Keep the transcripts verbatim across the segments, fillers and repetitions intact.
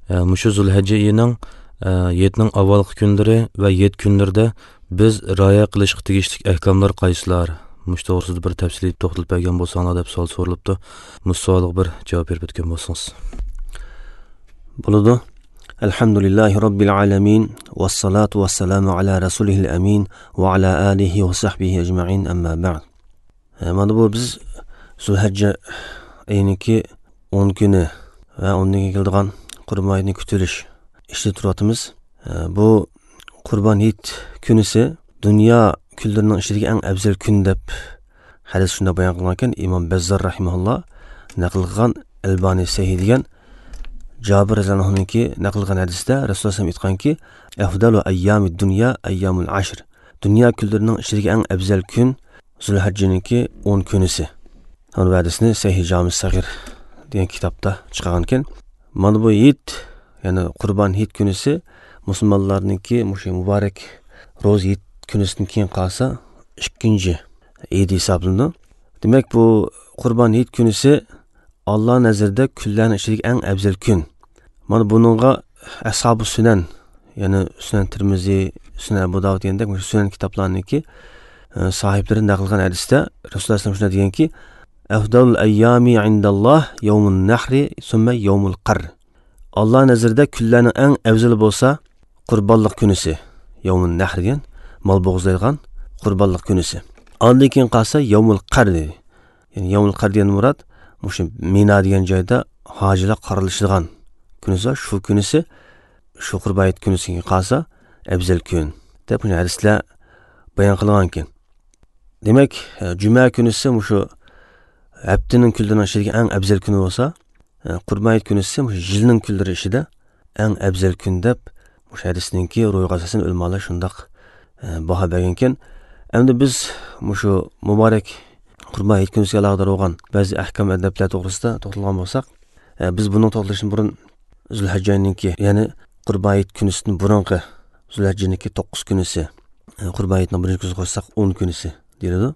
ئە، مۇشۇ زۇلھەججە ئېيىنىڭ، ئە، ھېيتنىڭ ئاۋۋالقى كۈنلىرى ۋە ھېيت كۈنلىرىدە بىز رىئايە قىلىشقا تېگىشلىك ئەھكاملار قايسىلار؟ مۇشۇ توغرىسىدا بىر تەپسىلىي توختىلىپ بەرگەن بولساڭلار دەپ سوئال سورىلىپتۇ. مۇشۇ سوئالغا بىر جاۋاب بېرىپ ئۆتكەن بولسىڭىز. بولىدۇ. الحمد لله رب العالمين، والصلاة والسلام على رسوله الأمين، وعلى آله وصحبه أجمعين، أما بعد. ئە، مانا بۇ بىز زۇلھەججە ئېيىنىڭكى ئون كۈنى ۋە ئۇنىڭ كېيىن كېلىدىغان قۇربان ھېيتنى كۈتۈۋېلىش ئىچىدە تۇرۇۋاتىمىز. ئە، بۇ قۇربان ھېيت كۈنىسى دۇنيا كۈنلىرىنىڭ ئىچىدىكى ئەڭ ئەۋزەل كۈن دەپ ھەدىس شۇنداق بايان قىلغانكەن، ئىمام بەززار رەھىمەھۇللا نەقىل قىلغان، ئەلبانى سەھىھ دېگەن، جابىر رەزىياللاھۇ ئەنھۇنىڭكى نەقىل قىلغان ھەدىستە رەسۇلۇللاھ ئەلەيھىسسالام ئېيتقانكى، «أفضل أيام الدنيا أيام العشر.» دۇنيا كۈنلىرىنىڭ ئىچىدىكى ئەڭ ئەۋزەل كۈن زۇلھەججىنىڭكى ئون كۈنىسى. ئۇنىڭ ھەدىسىنى سەھىھ جامى سەغىر دېگەن كىتابتا چىقارغانىكەن. مانا بۇ ھېيت، يەنى قۇربان ھېيت كۈنىسى مۇسۇلمانلارنىڭكى مۇشۇ مۇبارەك روزا ھېيت كۈنىسىدىن كېيىن قالسا ئىككىنچى ئىدى ھېسابلىنىدۇ. دېمەك، بۇ قۇربان ھېيت كۈنىسى ئاللا نەزىرىدە كۈنلەرنىڭ ئىچىدىكى ئەڭ ئەۋزەل كۈن. مانا بۇنىڭغا ئەسھابۇ سۈنەن، يەنى سۈنەن تىرمىزى، سۈنەن ئەبۇ داۋۇد دېگەندەك مۇشۇ سۈنەن كىتابلارنىڭكى، ئە، ساھىبلىرى نەقىل قىلغان ھەدىستە رەسۇلۇللاھ ئەلەيھىسسالام شۇنداق دېگەنكى، «أفضل الأيام عند الله يوم النحر ثم يوم القر.» ئاللا نەزىرىدە كۈنلەرنىڭ ئەڭ ئەۋزىلى بولسا قۇربانلىق كۈنىسى، يومۇن نەھر دېگەن مال بوغۇزلايدىغان قۇربانلىق كۈنىسى. ئاندىن كېيىن قالسا يومۇل قەر دېدى. يەنى يومۇل قەر دېگەن مۇراد مۇشۇ مىنا دېگەن جايدا ھاجىلار قارىلىشىدىغان كۈنىسى، شۇ كۈنىسى، شۇ قۇربان ھېيت كۈنىسىگە قالسا ئەۋزەل كۈن دەپ مۇشۇ ھەدىسلەر بايان قىلغانكەن. دېمەك، جۈمە كۈنىسى مۇشۇ ھەپتىنىڭ كۈنلىرىنىڭ ئىچىدىكى ئەڭ ئەۋزەل كۈنى بولسا، قۇربان ھېيت كۈنىسى مۇشۇ يىلنىڭ كۈنلىرى ئىچىدە ئەڭ ئەۋزەل كۈن دەپ، مۇشۇ ھەدىسنىڭكى روھىغا ئاساسەن ئۆلىمالار شۇنداق، ئە، باھا بەرگەنكەن. ئەمدى بىز مۇشۇ مۇبارەك قۇربان ھېيت كۈنىسىگە ئالاقىدار بولغان بەزى ئەھكام ئەدەپلەر توغرىسىدا توختالغان بولساق، ئە، بىز بۇنىڭ توختىلىشىدىن بۇرۇن زۇلھەججەنىڭكى، يەنى قۇربان ھېيت كۈنىسىدىن بۇرۇنقى زۇلھەججىنىڭكى توققۇز كۈنىسى، ئە، قۇربان ھېيتنىڭ بىرىنچى كۈنىسىگە قوشساق ئون كۈنىسى دېيىلىدۇ.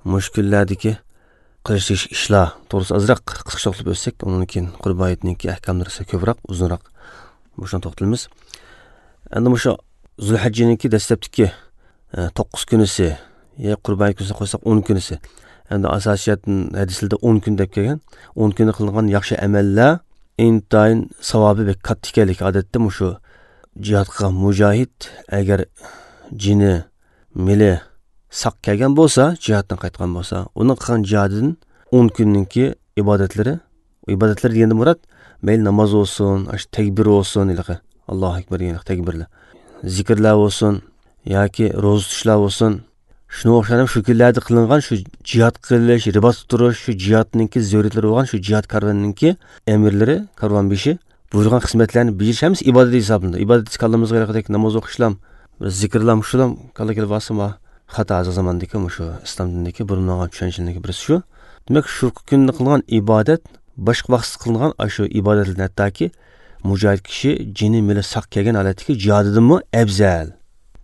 مۇشۇ كۈنلەردىكى قىلىش تېگىشلىك ئىشلار توغرىسىدا ئازراق قىسقىچە توختىلىپ ئۆتسەك، ئۇنىڭدىن كېيىن قۇربان ھېيتنىڭكى ئەھكاملىرى كۆپرەك، ئۇزۇنراق مۇشۇنى توختىلىمىز. ئەمدى مۇشۇ زۇلھەججىنىڭكى دەسلەپتىكى، ئە، توققۇز كۈنىسى، يا قۇربان ھېيت كۈنىسىنى قوشساق ئون كۈنىسى. ئەمدى ئاساسىي جەھەتتىن ھەدىسلەردە ئون كۈن دەپ كەلگەن. ئون كۈندە قىلىنغان ياخشى ئەمەللەر ئىنتايىن ساۋابى بەك كاتتا ئىكەنلىكى، ئادەتتە مۇشۇ جىھاد قىلغان مۇجاھىد ئەگەر جېنى مېلى ساق كەلگەن بولسا، جىھادتىن قايتقان بولسا، ئۇنىڭ قىلغان جىھادىدىن ئون كۈننىڭكى ئىبادەتلىرى، ئىبادەتلىرى دېگەندە مۇراد، مەيلى ناماز بولسۇن، ئاشۇ تەكبىر بولسۇن، ھېلىقى ئاللاھۇ ئەكبەر دېگەن تەكبىرلەر، زىكىرلەر بولسۇن ياكى روزا تۇتۇشلار بولسۇن، شۇنىڭغا ئوخشاش شۇ كۈنلەردە قىلىنغان شۇ جىھاد قىلىش، رىباتتا تۇرۇش، شۇ جىھادنىڭكى زۆرۈرىيەتلىرى بولغان شۇ جىھاد كارۋىنىڭكى ئەمىرلىرى، كارۋانبېشى، بۇيرۇغان خىزمەتلەرنى بېجىرىش ھەممىسى ئىبادەت ھېسابلىنىدۇ. ئىبادەت دېسە كاللىمىزغا ھېلىقىدەك ناماز ئوقۇشلام، بىر زىكىرلام، شۇلام كاللا كېلىپ قالسا، ما خاتا ھازىر زاماندىكى مۇشۇ ئىسلام دىنىدىكى بۇرمىلانغان چۈشەنچىلەرنىڭكى بىرسى شۇ. دېمەك، شۇ كۈندە قىلغان ئىبادەت باشقا ۋاقىتتا قىلىنغان ئاشۇ ئىبادەتلەردىن ھەتتاكى مۇجاھىد كىشى جېنى مېلى ساق كەلگەن ھالەتتىكى جىھادىدىنمۇ ئەۋزەل.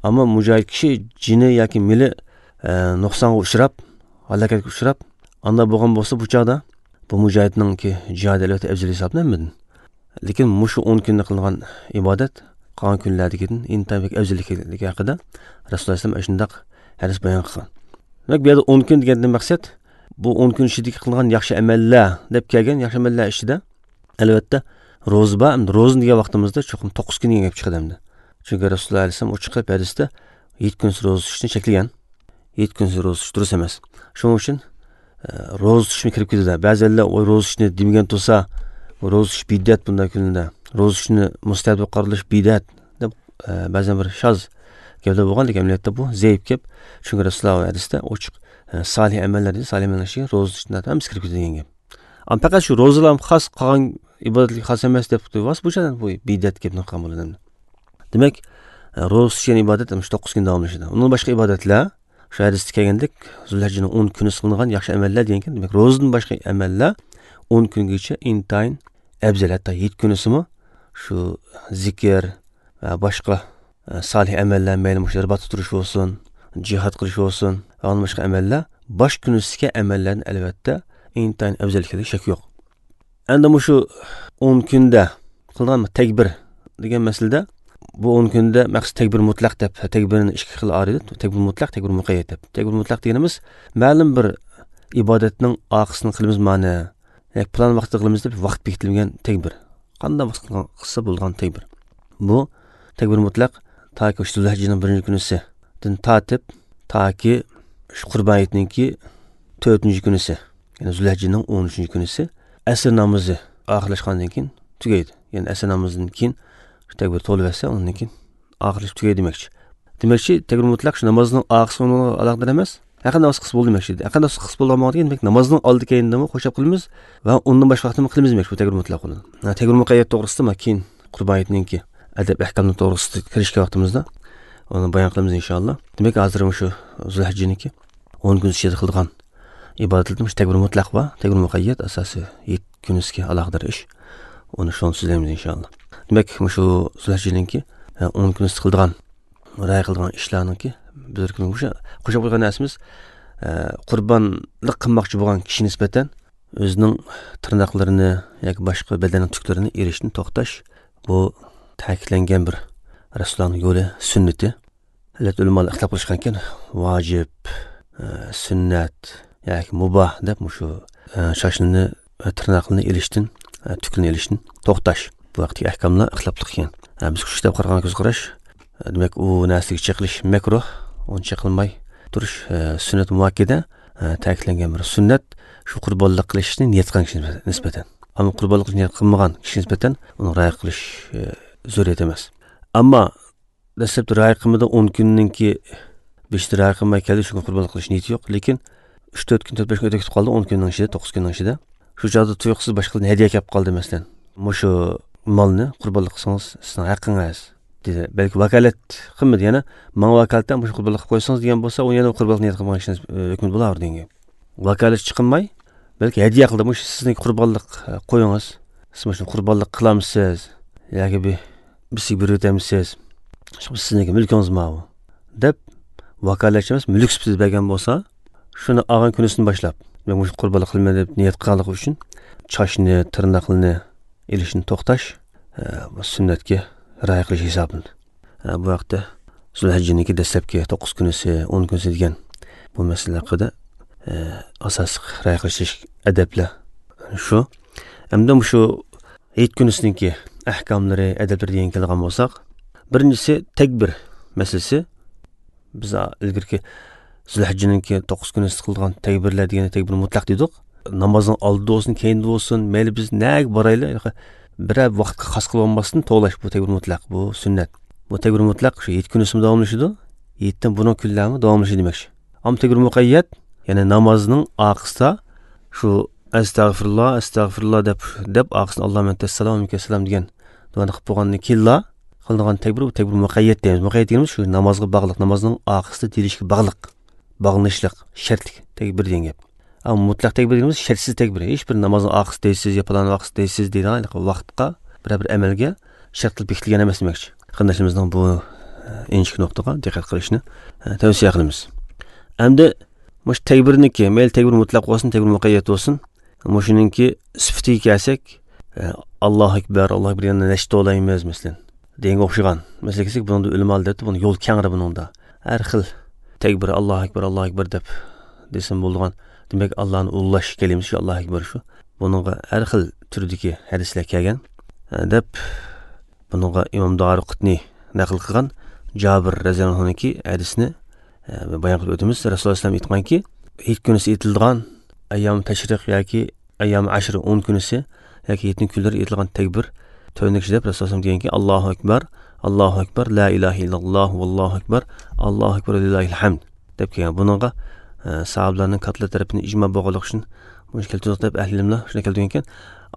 ئەمما مۇجاھىد كىشى جېنى ياكى مېلى، ئە، نۇقسانغا ئۇچراپ، ھالاكەتكە ئۇچراپ، ئانداق بولغان بولسا، بۇ چاغدا بۇ مۇجاھىدنىڭكى جىھادى ئەلۋەتتە ئەۋزەل ھېسابلىنىدۇ. لېكىن مۇشۇ ئون كۈندە قىلىنغان ئىبادەت قالغان كۈنلەردىكىدىن ئىنتايىن بەك ئەۋزەل ئىكەنلىكى ھەققىدە رەسۇلۇللاھ ئەلەيھىسسالام ئاشۇنداق ھەدىس بايان قىلغان. دېمەك، بۇ يەردە ئون كۈن دېگەندىن مەقسەت، بۇ ئون كۈن ئىچىدىكى قىلىنغان ياخشى ئەمەللەر دەپ كەلگەن ياخشى ئەمەللەر ئىچىدە، ئەلۋەتتە، روزا بار. ئەمدى روزىنى دېگەن ۋاقتىمىزدا چوقۇم توققۇز كۈن دېگەن گەپ چىقىدۇ ئەمدى. چۈنكى رەسۇلۇللاھ ئەلەيھىسسالام ئۇ چىقىپ ھەدىستە ھېيت كۈنىسى روزا تۇتۇشنى چەكلىگەن. ھېيت كۈنىسى روزا تۇتۇش دۇرۇس ئەمەس. شۇنىڭ ئۈچۈن، ئە، روزا تۇتۇشمۇ كىرىپ كېتىدۇ. بەزىلەر ئۇ روزا تۇتۇشنى دېمىگەن تۇرسا، روزا تۇتۇش بىدئەت بۇنداق كۈندە. روزا تۇتۇشنى مۇستەھەپ دەپ قارىلىش بىدئەت دەپ، ئە، بەزەن بىر شاز گەپلەر بولغان، لېكىن ئەمەلىيەتتە بۇ زەئىپ گەپ. چۈنكى رەسۇلۇللاھ ھەدىستە ئوچۇق، ئە، سالىھ ئەمەللەر دېدى، سالىھ ئەمەللەر ئىچىگە روزا تۇتۇشنى ھەممىسى كىرىپ كېتىدۇ دېگەن گەپ. ئەمما پەقەت شۇ روزىلا خاس، قالغان ئىبادەتلەرگە خاس ئەمەس دەپ تۇرۇۋاتسا، بۇ چاغدا بۇ بىدئەت گەپنى قىلغان بولىدۇ. دېمەك، روزا تۇتۇش دېگەن ئىبادەت مۇشۇ توققۇز كۈن داۋاملىشىدۇ. ئۇندىن باشقا ئىبادەتلەر، شۇ ھەدىستە كەلگەندەك، زۇلھەججىنىڭ ئون كۈنى قىلىنغان ياخشى ئەمەللەر دېگەنكەن. دېمەك، روزىدىن باشقا ئەمەللەر ئون كۈنگىچە ئىنتايىن ئەۋزەل، ھەتتا ھېيت كۈنىسىمۇ شۇ زىكىر ۋە باشقا، ئە، سالىھ ئەمەللەر، مەيلى مۇشۇ رىباتتا تۇرۇش بولسۇن، جىھاد قىلىش بولسۇن ۋە ئۇندىن باشقا ئەمەللەر باش كۈنىسىدىكى ئەمەللەردىن ئەلۋەتتە ئىنتايىن ئەۋزەل ئىكەنلىكى شەك يوق. ئەمدى مۇشۇ ئون كۈندە قىلىدىغان تەكبىر دېگەن مەسىلىدە، بۇ ئون كۈندە مەخسۇس تەكبىر مۇتلەق دەپ، تەكبىرنى ئىككى خىل ئايرىدۇق. تەكبىر مۇتلەق، تەكبىر مۇقەييەت دەپ. تەكبىر مۇتلەق دېگىنىمىز مەلۇم بىر ئىبادەتنىڭ ئارقىسىدىن قىلىمىز مانا، ياكى پىلان ۋاقىتتا قىلىمىز دەپ ۋاقىت بېكىتىلگەن تەكبىر. قانداق ۋاقىت قىلسا بولىدىغان تەكبىر. بۇ تەكبىر مۇتلەق تاكى شۇ زۇلھەججىنىڭ بىرىنچى كۈنىسىدىن تارتىپ، تاكى شۇ قۇربان ھېيتنىڭكى تۆتىنچى كۈنىسى، يەنى زۇلھەججىنىڭ ئون ئۈچىنچى كۈنىسى ئەسىر نامىزى ئاخىرلاشقاندىن كېيىن تۈگەيدۇ. يەنى ئەسىر نامىزىدىن كېيىن شۇ تەكبىر تولىۋەتسە، ئۇنىڭدىن كېيىن ئاخىرلىشىپ تۈگەيدۇ دېمەكچى. دېمەكچى، تەكبىر مۇتلەق شۇ نامازنىڭ ئارقىسىغا ئۇنىڭغا ئالاقىدار ئەمەس. ھەر قانداق ۋاقىت قىلسا بولىدۇ دېمەكچى. ھەر قانداق ۋاقىت قىلسا بولىدىغان بولغان، دېمەك، نامازنىڭ ئالدى كەينىدىمۇ خوشلاپ قىلىمىز ۋە ئۇندىن باشقا ۋاقىتتا قىلىمىز دېمەكچى، بۇ تەكبىر مۇتلەق بولىدۇ. ھە، تەكبىر مۇقەييەت توغرىسىدا ما كېيىن قۇربان ھېيتنىڭكى ئەدەپ ئەھكاملىرى توغرىسىدا كىرىشكەن ۋاقتىمىزدا ئۇنى بايان قىلىمىز، ئىنشائاللا. دېمەك، ھازىر مۇشۇ زۇلھەججىنىڭكى ئون كۈن ئىچىدە قىلىدىغان ئىبادەتلىرىمىز تەكبىر مۇتلەق ۋە تەكبىر مۇقەييەت ئاساسىي ھېيت كۈنىسىگە ئالاقىدار ئىش. ئۇنى شۇنى سۆزلەيمىز، ئىنشائاللا. دېمەك، مۇشۇ زۇلھەججىنىڭكى، ئە، ئون كۈنىسىدە قىلىدىغان، رىئايە قىلىدىغان ئىشلارنىڭكى بىر كۈنى مۇشۇ قوشۇپ قويغان نەرسىمىز، ئە، قۇربانلىق قىلماقچى بولغان كىشى نىسبەتەن ئۆزىنىڭ تىرناقلىرىنى ياكى باشقا بەدەننىڭ تۈكلىرىنى ئېلىشتىن توختاش. بۇ تەكىتلەنگەن بىر رەسۇلۇللانىڭ يولى، سۈننىتى. ئەلۋەتتە، ئۆلىمالار ئىختىلاپ قىلىشقانكەن، ۋاجىپ، ئە، سۈننەت ياكى مۇباھ دەپ مۇشۇ، ئە، چاچنى ۋە تىرناقلىرىنى ئېلىشتىن، ئە، تۈكلىرىنى ئېلىشتىن توختاش. بۇ ھەقتىكى ئەھكاملار ئىختىلاپلىق ئىكەن. ئە، بىز شۇ كىتابقا قارىغان كۆز قاراش، ئە، دېمەك، ئۇ نەرسىگە چېقىلىش مەكرۇھ، ئۇنى چېقىلماي تۇرۇش، ئە، سۈننەت مۇئەككەدە، ئە، تەكىتلەنگەن بىر سۈننەت، شۇ قۇربانلىق قىلىشنى نىيەت قىلغان كىشىگە نىسبەتەن. ئەمما قۇربانلىق قىلىشنى نىيەت قىلمىغان كىشىگە نىسبەتەن ئۇنى رىئايە قىلىش، ئە، زۆرۈرىيەت ئەمەس. ئەمما دەسلەپتە رىئايە قىلمىدى، ئون كۈننىڭكى بېشىدا رىئايە قىلماي كەلدى، شۇ كۈن قۇربانلىق قىلىش نىيىتى يوق. لېكىن ئۈچ تۆت كۈن، تۆت بەش كۈن ئۆتۈپ كېتىپ قالدى، ئون كۈننىڭ ئىچىدە، توققۇز كۈننىڭ ئىچىدە. شۇ چاغدا تۇيۇقسىز باشقىدىن ھەدىيە كەپ قالدى، مەسىلەن، مۇشۇ مالنى قۇربانلىق قىلسىڭىز سىزنىڭ ھەققىڭىز دېدى. بەلكى ۋاكالەت قىلمىدى، يەنە ماڭا ۋاكالىتەن مۇشۇ قۇربانلىق قىلىپ قويسىڭىز دېگەن بولسا، ئۇ يەنە قۇربانلىق نىيەت قىلمىغان كىشىنىڭ ھۆكمىدە بولاۋېرىدۇ دېگەن گەپ. ۋاكالەتچى قىلماي، بەلكى ھەدىيە قىلدى. مۇشۇ سىزنىڭكى قۇربانلىق، ئە، قويىڭىز. سىز مۇشۇنى قۇربانلىق قىلامسىز؟ ياكى بىر، بىرسىگە بېرىۋېتەمسىز؟ مۇشۇ سىزنىڭكى مۈلكىڭىز ماۋۇ، دەپ ۋاكالەتچى ئەمەس، مۈلۈك سۈپىتىدە بەرگەن بولسا، شۇنى ئالغان كۈنىسىدىن باشلاپ، مەن مۇشۇ قۇربانلىق قىلىمەن دەپ نىيەت قىلغانلىقى ئۈچۈن چاچنى، تىرناقلىرىنى ئېلىشتىن توختاش، ئە، بۇ سۈننەتكە رىئايە قىلىش ھېسابلىنىدۇ. ئە، بۇ ھەقتە زۇلھەججىنىڭكى دەسلەپكى توققۇز كۈنىسى، ئون كۈنىسى دېگەن بۇ مەسىلە ھەققىدە، ئە، ئاساسلىق رىئايە قىلىش ئەدەپلەر شۇ. ئەمدى مۇشۇ ھېيت كۈنىسىنىڭكى ئەھكاملىرى، ئەدەپلىرى دېگەن كېلىدىغان بولساق، بىرىنچىسى تەكبىر مەسىلىسى. بىز ئىلگىرىكى زۇلھەججىنىڭكى توققۇز كۈنىسىدە قىلىدىغان تەكبىرلەر دېگەندە تەكبىر مۇتلەق دېدۇق. نامازنىڭ ئالدىدا بولسۇن، كەينىدە بولسۇن، مەيلى بىز نەگە بارايلى، بىرەر ۋاقىتقا خاس قىلىۋالماستىن توۋلاش، بۇ تەكبىر مۇتلەق، بۇ سۈننەت. بۇ تەكبىر مۇتلەق شۇ ھېيت كۈنىسىمۇ داۋاملىشىدۇ، ھېيتتىن بۇرۇنقى كۈنلەرمۇ داۋاملىشىدۇ دېمەكچى. ئەمما تەكبىر مۇقەييەت، يەنى نامازنىڭ ئارقىسىدا شۇ ئەستەغفىرۇللا، ئەستەغفىرۇللا دەپ، دەپ ئارقىسىدىن ئاللاھۇممە ئەنتەسسالام ۋە مىنكەسسالام دېگەن دۇئانى قىلىپ بولغاندىن كېيىنلا قىلىدىغان تەكبىر، بۇ تەكبىر مۇقەييەت دەيمىز. مۇقەييەت دېگىنىمىز شۇ نامازغا باغلىق، نامازنىڭ ئارقىسىدا دېيىلىشكە باغلىق، باغلىنىشلىق، شەرتلىك تەكبىر دېگەن گەپ. ئەمما مۇتلەق تەكبىر دېگىنىمىز شەرتسىز تەكبىر. ھېچ بىر نامازنىڭ ئارقىسىدا دەيسىز يا پالان ۋاقىتتا دەيسىز دەيدىغان ۋاقىتقا بىرەر بىر ئەمەلگە شەرت قىلىپ بېكىتىلگەن ئەمەس دېمەكچى. قېرىنداشلىرىمىزنىڭ بۇ، ئە، ئىنچىكە نۇقتىغا دىققەت قىلىشىنى، ئە، تەۋسىيە قىلىمىز. ئەمدى مۇشۇ تەكبىرنىڭكى، مەيلى تەكبىر مۇتلەق بولسۇن، تەكبىر مۇقەييەت بولسۇن، مۇشۇنىڭكى سۈپىتىگە كەلسەك، ئە، ئاللاھۇ ئەكبەر، ئاللاھۇ ئەكبەر دېگەندە نەشتە توۋلايمىز، مەسىلەن، دېگەنگە ئوخشىغان مەسىلىگە كەلسەك، بۇنىڭدا ئۆلىمالار دەپتۇ، بۇنىڭ يول كەڭرى بۇنىڭدا. ھەر خىل تەكبىر، ئاللاھۇ ئەكبەر، ئاللاھۇ ئەكبەر دەپ دېسىمۇ بولىدىغان. دېمەك، ئاللانى ئۇلۇغلاش كەلىمىسى شۇ، ئاللاھۇ ئەكبەر شۇ. بۇنىڭغا ھەر خىل تۈردىكى ھەدىسلەر كەلگەن، ئە، دەپ بۇنىڭغا ئىمام دارىقۇتنى نەقىل قىلغان جابىر رەزىياللاھۇ ئەنھۇنىڭكى ھەدىسىنى، ئە، بايان قىلىپ ئۆتىمىز. رەسۇلۇللاھ ئەلەيھىسسالام ئېيتقانكى، ھېيت كۈنىسى ئېيتىلىدىغان ئەييام تەشرىق ياكى ئەييام ئەشر، ئون كۈنىسى ياكى ھېيتنىڭ كۈنلىرى ئېيتىلغان تەكبىر تۆۋەندىكىچە دەپ، رەسۇلۇللاھ ئەلەيھىسسالام دېگەنكى، ئاللاھۇ ئەكبەر، ئاللاھۇ ئەكبەر، لا ئىلاھە ئىللەللاھۇ، ۋاللاھۇ ئەكبەر، ئاللاھۇ ئەكبەر، لىللاھىل ھەمد دەپ كەلگەن. بۇنىڭغا، ئە، ساھابىلەرنىڭ كاتتىلار تەرىپىدىن ئىجما بولغانلىقى ئۈچۈن بۇنى كەلتۈردۇق دەپ ئەھلى ئىلىملار شۇنى كەلتۈرگەنكەن.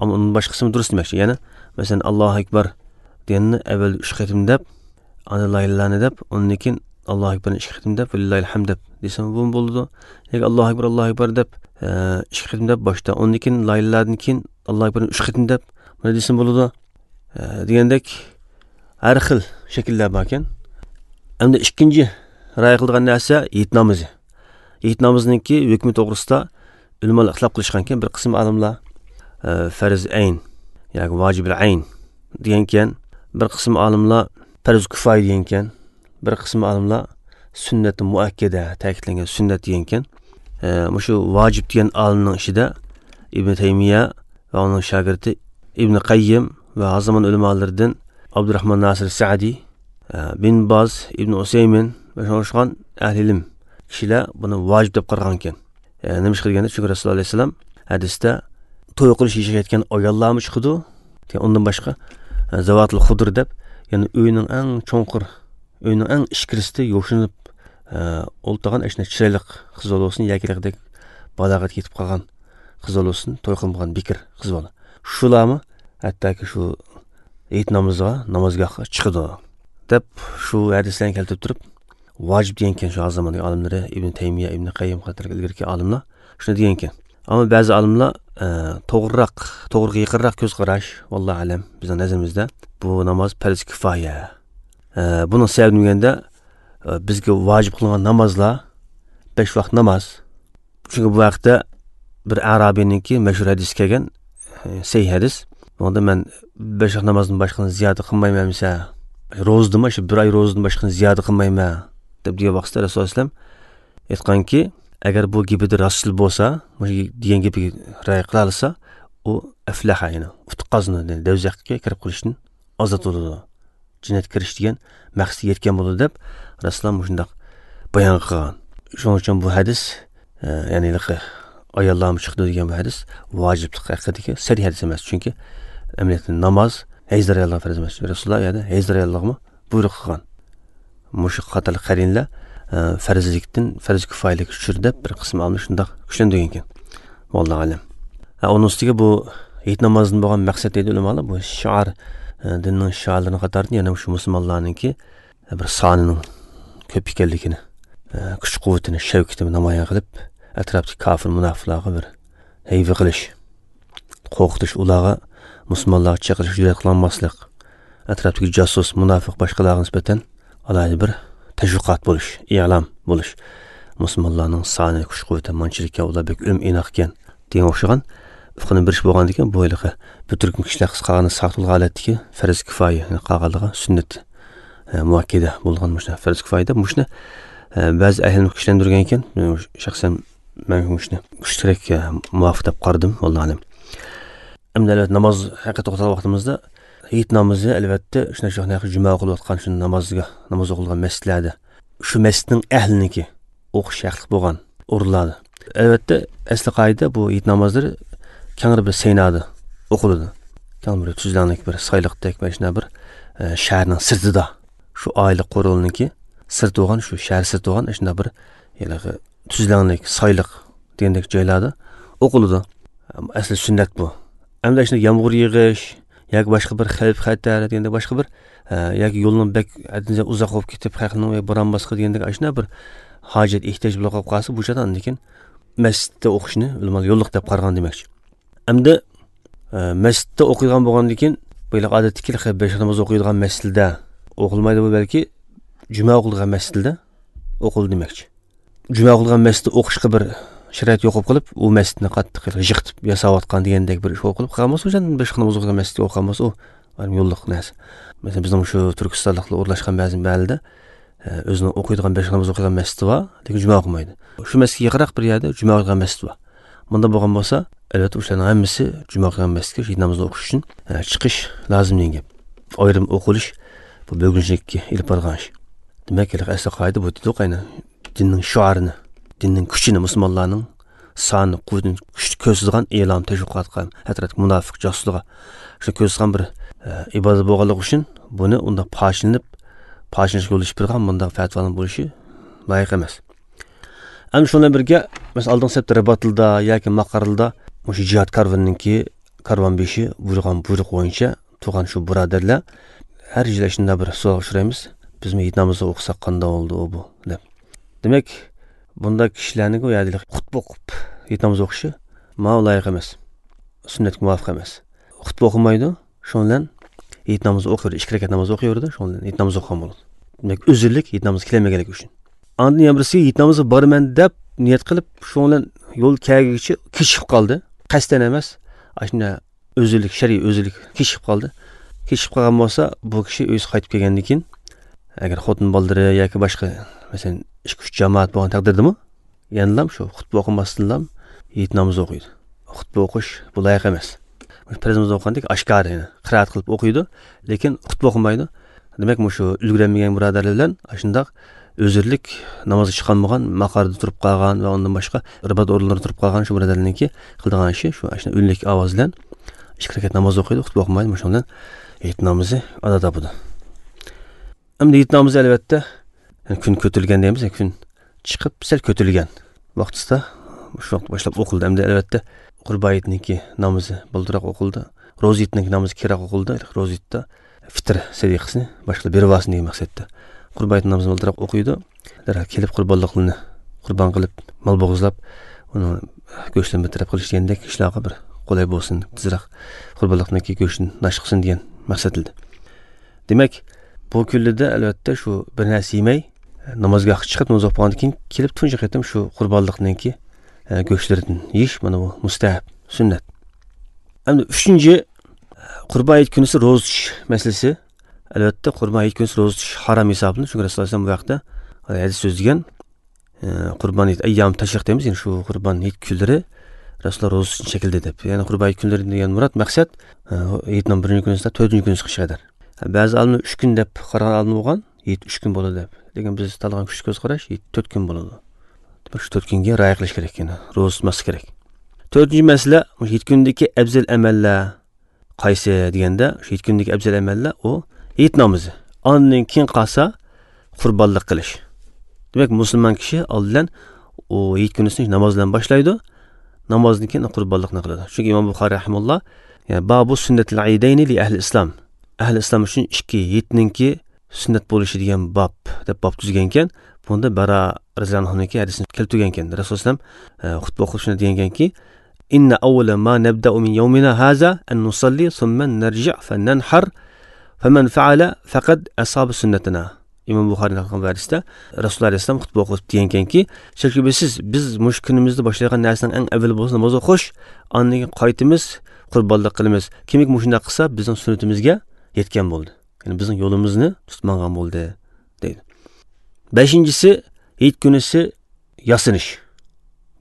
ئەمما ئۇنىڭ باشقىسىمۇ دۇرۇس دېمەكچى. يەنى، مەسىلەن، ئاللاھۇ ئەكبەر دېگەننى ئەۋۋەل ئۈچ قېتىم دەپ، ئاندىن لا ئىلاھە ئىللاللاھنى دەپ، ئۇنىڭدىن كېيىن ئاللاھۇ ئەكبەرنى ئىككى قېتىم دەپ، ۋەلىللاھىل ھەمد دەپ دېسەم بۇمۇ بولىدۇ. ياكى ئاللاھۇ ئەكبەر، ئاللاھۇ ئەكبەر دەپ، ئە، ئىككى قېتىم دەپ باشتا، ئۇنىڭدىن كېيىن لا ئىلاھىدىن كېيىن ئاللاھۇ ئەكبەرنى ئۈچ قېتىم دەپ، بۇنى دېسەم بولىدۇ. ئە، دېگەندەك ھەر خىل شەكىللەر باركەن. ئەمدى ئىككىنچى رىئايە قىلىدىغان نەرسە ھېيت نامىزى. ھېيت نامىزىنىڭكى ھۆكمى توغرىسىدا ئۆلىمالار ئىختىلاپ قىلىشقانكەن، بىر قىسىم ئالىملار، ئە، فەرز ئەين ياكى ۋاجىبىل ئەين، دېگەنكەن. بىر قىسىم ئالىملار پەرز كۇفايە دېگەنكەن. بىر قىسىم ئالىملار سۈننەت مۇئەككەدە، تەكىتلەنگەن سۈننەت دېگەنكەن. ئە، مۇشۇ ۋاجىپ دېگەن ئالىمنىڭ ئىچىدە ئىبن تەيمىيە ۋە ئۇنىڭ شاگىرتى ئىبن قەييىم ۋە ھازىر زامان ئۆلىمالىرىدىن ئابدۇرراھمان ناسىر سەئدى، ئە، بىن باز، ئىبن ئۇسەيمىن ۋە شۇڭا ئوخشىغان ئەھلى ئىلىم كىشىلەر بۇنى ۋاجىپ دەپ قارىغانكەن. ئە، نېمىشقا دېگەندە، چۈنكى رەسۇلۇللا ئەلەيھىسسالام ھەدىستە توي قىلىش يېشىغا يەتكەن ئاياللارمۇ چىقىدۇ. ئۇندىن باشقا، ئە، زەۋاتىل خۇدۇر دەپ، يەنى ئۆينىڭ ئەڭ چوڭقۇر، ئۆينىڭ ئەڭ ئىچكىرىسىدە يوشۇنۇپ، ئە، ئولتۇرغان ئەشۇنداق چىرايلىق قىز بولسۇن ياكى ھېلىقىدەك بالاغەتكە يېتىپ قالغان قىز بولسۇن، توي قىلمىغان بىكىر قىز بالا. شۇلارمۇ ھەتتاكى شۇ ھېيت نامىزىغا، نامازگاھقا چىقىدۇ، دەپ شۇ ھەدىسلەرنى كەلتۈرۈپ تۇرۇپ، ۋاجىپ دېگەنكەن شۇ ھازىر زاماننىڭ ئالىملىرى، ئىبن تەيمىيە، ئىبن قەييىم قاتارلىق ئىلگىرىكى ئالىملار شۇنى دېگەنكەن. ئەمما بەزى ئالىملار، ئە، توغرىراق، توغرىغا يېقىنراق كۆز قاراش، ۋاللاھۇ ئەلەم، بىزنىڭ نەزىرىمىزدە بۇ ناماز پەرز كىفايە. ئە، بۇنىڭ سەۋەبى نېمە دېگەندە، ئە، بىزگە ۋاجىپ قىلىنغان نامازلار بەش ۋاق ناماز. چۈنكى بۇ ھەقتە بىر ئەرابىينىڭكى مەشھۇر ھەدىسى كەلگەن، ئە، سەھىھ ھەدىس. بۇنىڭدا مەن بەش ۋاق نامازدىن باشقىنى زىيادە قىلمايمەن دېسە، روزىدىنمۇ، شۇ بىر ئاي روزىدىن باشقىنى زىيادە قىلمايمەن دەپ دېگەن ۋاقىتتا رەسۇلۇللا ئەلەيھىسسالام ئېيتقانكى، ئەگەر بۇ گېپىدە راستچىل بولسا، مۇشۇ دېگەن گېپىگە رىئايە قىلالىسا، ئۇ ئەفلەھە، يەنى ئۇتۇق قازىنىدۇ، يەنى دوزاخقا كىرىپ قېلىشتىن ئازاد بولىدۇ. جەننەتكە كىرىش دېگەن مەقسەتكە يەتكەن بولىدۇ دەپ رەسۇلۇللا مۇشۇنداق بايان قىلغان. شۇنىڭ ئۈچۈن بۇ ھەدىس، ئە، يەنى ھېلىقى ئاياللارمۇ چىقىدۇ دېگەن بۇ ھەدىس ۋاجىپلىق ھەققىدىكى سەرىھ ھەدىس ئەمەس. چۈنكى ئەمەلىيەتتە ناماز ھەيز ئاياللارغا پەرز ئەمەس. رەسۇلۇللا ئۇ يەردە ھەيز ئاياللارغىمۇ بۇيرۇق قىلغان. مۇشۇ قاتارلىق قەرىنلەر، ئە، پەرزلىكتىن پەرز كۇفايىلىككە چۈشۈردى دەپ بىر قىسىم ئالىملار شۇنداق كۈچلەندۈرگەنكەن. ۋاللاھۇ ئەلەم. ھە، ئۇنىڭ ئۈستىگە بۇ ھېيت نامازىدىن بولغان مەقسەت دەيدۇ ئۆلىمالار، بۇ شىئار، ئە، دىننىڭ شىئارلىرىنىڭ قاتارىدىن يەنە مۇشۇ مۇسۇلمانلارنىڭكى بىر سانىنىڭ كۆپ ئىكەنلىكىنى، ئە، كۈچ قۇۋۋىتىنى، شەۋكىتىنى نامايان قىلىپ، ئەتراپتىكى كاپىر مۇناپىقلارغا بىر ھەيۋە قىلىش، قورقۇتۇش، ئۇلارغا مۇسۇلمانلارغا چېقىرىش جۈرئەت قىلالماسلىق، ئەتراپتىكى جاسۇس، مۇناپىق باشقىلارغا نىسبەتەن ئالاھىدە بىر تەشۋىقات بولۇش، ئېلان بولۇش. مۇسۇلمانلارنىڭ سانى، كۈچ قۇۋۋىتى مانچىلىككەن، ئۇلار بەك ئۆلۈم ئىناقكەن دېگەن ئوخشىغان ئۇقۇم بېرىش بولغاندىكىن، بۇ ھېلىقى بىر تۈركۈم كىشىلەر قىسقا قالغاندا ساقىت بولغان ھالەتتىكى پەرز كىفايە، يەنى قالغانلىرىغا سۈننەت، ئە، مۇئەككەدە بولغان مۇشۇ پەرز كىفايە دەپ مۇشۇنى، ئە، بەزى ئەھلىمىز كۈچلەندۈرگەنكەن. شەخسەن مەن مۇشۇنى كۈچلۈكرەك، ئە، مۇۋاپىق دەپ قارىدىم، ۋاللاھۇ ئەلەم. ئەمدى ئەلۋەتتە ناماز ھەققىدە توختالغان ۋاقتىمىزدا، ھېيت نامىزى ئەلۋەتتە شۇنداق، شۇنداق جۈمە ئوقۇلۇۋاتقان شۇ نامازغا، ناماز ئوقۇلغان مەسچىتلەردە، شۇ مەسچىتنىڭ ئەھلىنىڭكى ئوقۇش ھەقلىق بولغان ئورۇنلاردا. ئەلۋەتتە، ئەسلى قائىدە بۇ ھېيت نامازلىرى كەڭرى بىر سەينادا ئوقۇلىدۇ. كەڭ بىر تۈزلەڭلىك، بىر سايلىقتەك، مانا شۇنداق بىر، ئە، شەھەرنىڭ سىرتىدا، شۇ ئائىلە قورۇلىنىڭكى سىرتى بولغان، شۇ شەھەر سىرتى بولغان شۇنداق بىر ھېلىقى تۈزلەڭلىك، سايلىق دېگەندەك جايلاردا ئوقۇلىدۇ. ئەسلى سۈننەت بۇ. ئەمدى شۇنداق يامغۇر يېغىش ياكى باشقا بىر خەۋپ خەتەر دېگەندەك باشقا بىر، ئە، ياكى يولنىڭ بەك ھەددىدىن زىيادە ئۇزاق بولۇپ كېتىپ، خەقنىڭ بوران باسقا دېگەندەك ئاشۇنداق بىر ھاجەت، ئېھتىياج بولۇپ قالىپ قالسا، بۇ چاغدا ئاندىن كېيىن مەسچىتتە ئوقۇشنى ئۆلىمالار يوللۇق دەپ قارىغان دېمەكچى. ئەمدى، ئە، مەسچىتتە ئوقۇيدىغان بولغاندىن كېيىن، بۇ ھېلىقى ئادەتتىكى بەش ناماز ئوقۇيدىغان مەسچىتلەردە ئوقۇلمايدۇ، بۇ بەلكى جۈمە ئوقۇلىدىغان مەسچىتلەردە ئوقۇلىدۇ دېمەكچى. جۈمە ئوقۇلغان مەسچىتتە ئوقۇشقا بىر شارائىت يوق بولۇپ قېلىپ، ئۇ مەسچىتنى قاتتىق يىقىتىپ ياساۋاتقان دېگەندەك بىر ئىش بولۇپ قېلىپ قالمىسا، ئۇ جايدىن باشقا ناماز ئوقۇيدىغان مەسچىتكە ئوقۇپ قالمىسا، ئۇ ئايرىم يوللۇق نەرسە. مەسىلەن، بىزنىڭ شۇ تۈركىستانلىقلار ئورۇنلاشقان بەزى مەھەللىدە، ئە، ئۆزىنىڭ ئوقۇيدىغان بەش ناماز ئوقۇيدىغان مەسچىتى بار، لېكىن جۈمە ئوقۇمايدۇ. شۇ مەسچىتكە يېقىنراق بىر يەردە جۈمە ئوقۇيدىغان مەسچىت بار. مۇنداق بولغان بولسا، ئەلۋەتتە، ئۇلارنىڭ ھەممىسى جۈمە ئوقۇيدىغان مەسچىتكە ھېيت نامىزىنى ئوقۇش ئۈچۈن، ئە، چىقىش لازىم دېگەن گەپ. ئايرىم ئوقۇلۇش بۇ بۆلگۈنچىلىككە ئېلىپ بارىدىغان ئىش. دېمەك، ھېلىقى ئەسلى قائىدە بۇ دېدۇق، ئەينى دىننىڭ شوئارىنى، دىننىڭ كۈچىنى، مۇسۇلمانلارنىڭ سانى، قۇۋۋىتىنى، كۈچىنى كۆرسىتىدىغان ئېلان، تەشۋىقاتقا، ھەتتاكى مۇناپىق جاسۇسلىرىغا شۇ كۆرسىتىدىغان بىر، ئە، ئىبادەت بولغانلىقى ئۈچۈن بۇنى ئۇنداق پاچىلىنىپ، پاچىلىنىشقا يول ئېچىپ بېرىدىغان مۇنداق پەتىۋانىڭ بولۇشى لايىق ئەمەس. ئەمدى شۇ بىلەن بىرگە، مەسىلەن، ئالدىنقى سەپتە رىباتلىدا ياكى ماقارلىدا مۇشۇ جىھاد كارۋىنىنىڭكى كارۋان بېشى بۇيرۇغان بۇيرۇق بويىچە تۇرغان شۇ بۇرادەرلەر ھەر يىلى شۇنداق بىر سوئالغا ئۇچرايمىز، بىزمۇ ھېيت نامىزى ئوقۇساق قانداق بولىدۇ بۇ دەپ. دېمەك، بۇنداق كىشىلەرنىڭ ئۇ يەردە خۇتبە ئوقۇپ ھېيت نامىزى ئوقۇشى ماڭا لايىق ئەمەس، سۈننەتكە مۇۋاپىق ئەمەس. خۇتبە ئوقۇمايدۇ، شۇنىڭ بىلەن ھېيت نامىزى ئوقۇيۋېرىدۇ، ئىككى رەكەت ناماز ئوقۇيۋېرىدۇ، شۇنىڭ بىلەن ھېيت نامىزى ئوقۇغان بولىدۇ. دېمەك، ئۆزۈرلۈك ھېيت نامىزى كېلەلمىگەنلىكى ئۈچۈن. ئاندىن يەنە بىرسى ھېيت نامىزىغا بارىمەن دەپ نىيەت قىلىپ، شۇنىڭ بىلەن يول كەلگۈچە كېچىكىپ قالدى. قەستەن ئەمەس، ئاشۇنداق ئۆزۈرلۈك، شەرئىي ئۆزۈرلۈك كېچىكىپ قالدى. كېچىكىپ قالغان بولسا، بۇ كىشى ئۆيىگە قايتىپ كەلگەندىن كېيىن، ئەگەر خوتۇن بالىلىرى ياكى باشقا، مەسىلەن، ئىككى-ئۈچ جامائەت بولغان تەقدىردىمۇ، يەنىلا شۇ خۇتبە ئوقۇماستىنلا ھېيت نامىزى ئوقۇيدۇ. خۇتبە ئوقۇش بۇ لايىق ئەمەس. پەرز نامىز ئوقۇغاندەك ئاشكارا، يەنى قىرائەت قىلىپ ئوقۇيدۇ، لېكىن خۇتبە ئوقۇمايدۇ. دېمەك، مۇشۇ ئۈلگۈرەلمىگەن بۇرادەرلەر بىلەن ئاشۇنداق ئۆزرىلىك نامازغا چىقالمىغان، ماقاردا تۇرۇپ قالغان ۋە ئۇندىن باشقا ئىبادەت ئورۇنلىرىدا تۇرۇپ قالغان شۇ بۇرادەرلەرنىڭكى قىلىدىغان ئىشى شۇ، ئاشۇنداق ئۈنلۈك ئاۋاز بىلەن ئىككى رەكەت ناماز ئوقۇيدۇ، خۇتبە ئوقۇمايدۇ. مۇشۇنىڭ بىلەن ھېيت نامىزى ئادا تاپىدۇ. ئەمدى ھېيت نامىزى، ئەلۋەتتە، يەنى كۈن كۆتۈرۈلگەن دەيمىز، يەنى كۈن چىقىپ سەل كۆتۈرۈلگەن ۋاقتىسىدا، شۇ ۋاقىت باشلاپ ئوقۇلدى. ئەمدى، ئەلۋەتتە، قۇربان ھېيتنىڭكى نامىزى بالدۇرراق ئوقۇلدى. روزا ھېيتنىڭكى نامىزى كېيىنرەك ئوقۇلدى. روزا ھېيتتا فىتىر سەدىقىسىنى باشقىلار بېرىۋالسۇن دېگەن مەقسەتتە. قۇربان ھېيت نامىزىنى بالدۇرراق ئوقۇيدۇ. دەرھال كېلىپ قۇربانلىقلىرىنى قۇربان قىلىپ، مال بوغۇزلاپ، ئۇنىڭ گۆشىنى بىر تەرەپ قىلىش دېگەندەك ئىشلارغا بىر قولاي بولسۇن، تېزرەك قۇربانلىقنىڭكى گۆشىنى ناشتا قىلسۇن دېگەن مەقسەت ئىدى. دېمەك، بۇ كۈنلىرىدە، ئەلۋەتتە، شۇ بىر نەرسە يېمەي، نامازگاھقا چىقىپ، ناماز ئوقۇغاندىن كېيىن كېلىپ تۇنجى قېتىم شۇ قۇربانلىقنىڭكى، ئە، گۆشلىرىدىن يېيىش، مانا بۇ مۇستەھەب، سۈننەت. ئەمدى ئۈچىنچى، قۇربان ھېيت كۈنىسى روزا تۇتۇش مەسىلىسى. ئەلۋەتتە، قۇربان ھېيت كۈنىسى روزا تۇتۇش ھارام ھېسابلىنىدۇ. چۈنكى رەسۇلۇللاھ ئەلەيھىسسالام بۇ ھەقتە ھەدىس سۆزلىگەن. ئە، قۇربان ھېيت، ئەييام تەشرىق دەيمىز، يەنى شۇ قۇربان ھېيت كۈنلىرى رەسۇلۇللاھ روزا تۇتۇشنى چەكلىدى دەپ. يەنى قۇربان ھېيت كۈنلىرى دېگەن مۇراد، مەقسەت، ئە، ھېيتنىڭ بىرىنچى كۈنىسى، تۆتىنچى كۈنىسىگە قەدەر. بەزى ئالىملار ئۈچ كۈن دەپ قارىغان ئالىملار بولغان، ھېيت ئۈچ كۈن بولىدۇ دەپ. لېكىن بىز تاللىغان كۈچلۈك كۆز قاراش، ھېيت تۆت كۈن بولىدۇ. دېمەك، شۇ تۆت كۈنگە رىئايە قىلىش كېرەك، يەنى روزا تۇتماسلىق كېرەك. تۆتىنچى مەسىلە، مۇشۇ ھېيت كۈنىدىكى ئەپزەل ئەمەللەر قايسى دېگەندە، شۇ ھېيت كۈنىدىكى ئەپزەل ئەمەللەر ئۇ ھېيت نامىزى. ئاندىن كېيىن قالسا قۇربانلىق قىلىش. دېمەك، مۇسۇلمان كىشى ئالدى بىلەن ئۇ ھېيت كۈنىسىنى ناماز بىلەن باشلايدۇ. نامازدىن كېيىن قۇربانلىقنى قىلىدۇ. چۈنكى ئىمام بۇخارىي رەھىمەھۇللاھ، يەنى، بابۇ سۈننەتىل ئىدەينى لى ئەھلى ئىسلام. ئەھلى ئىسلام ئۈچۈن ئىككى ھېيتنىڭكى سۈننەت بولۇشى دېگەن باب دەپ باب تۈزگەنكەن. بۇندا بەرا رەزىياللاھۇ ئەنھۇنىڭكى ھەدىسىنى كەلتۈرگەنكەن. رەسۇلۇللاھ ئەلەيھىسسالام، ئە، خۇتبە ئوقۇپ شۇنداق دېگەنكەنكى، إن أول ما نبدأ من يومنا هذا أن نصلي ثم نرجع فننحر فمن فعل فقد أصاب سنتنا. ئىمام بۇخارىي نەقىل قىلغان ھەدىستە رەسۇلۇللاھ ئەلەيھىسسالام خۇتبە ئوقۇپ دېگەنكەنكى، شەكسىز، بىز مۇشۇ كۈنىمىزدە باشلايدىغان نەرسىنىڭ ئەڭ ئەۋۋىلى بولسا ناماز ئوقۇش، ئاندىن كېيىن قايتىمىز، قۇربانلىق قىلىمىز. كىمكى مۇشۇنداق قىلسا، بىزنىڭ سۈننىتىمىزگە يەتكەن بولدى. يەنى بىزنىڭ يولىمىزنى تۇتۇپ ماڭغان بولدى، دەيدۇ. بەشىنچىسى، ھېيت كۈنىسى ياسىنىش،